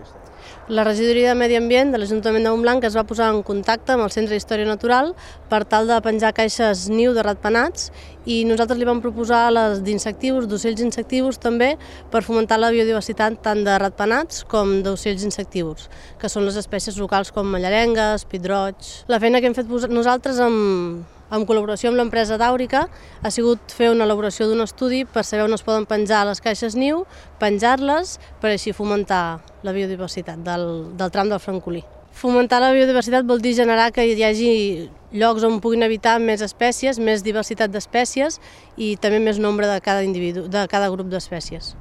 aquesta? La regidoria de Medi Ambient de l'Ajuntament de Montblanc es va posar en contacte amb el Centre d'Història Natural per tal de penjar caixes niu de ratpenats i nosaltres li vam proposar les d'insectius, d'ocells insectius també, per fomentar la biodiversitat tant de ratpenats com d'ocells insectius, que són les espècies locals com mallarengues, pit-roig. La feina que hem fet nosaltres en col·laboració amb l'empresa Dàurica ha sigut fer una elaboració d'un estudi per saber on es poden penjar les caixes niu, penjar-les per així fomentar la biodiversitat del tram del Francolí. Fomentar la biodiversitat vol dir generar que hi hagi llocs on puguin habitar més espècies, més diversitat d'espècies i també més nombre de cada individu, de cada grup d'espècies.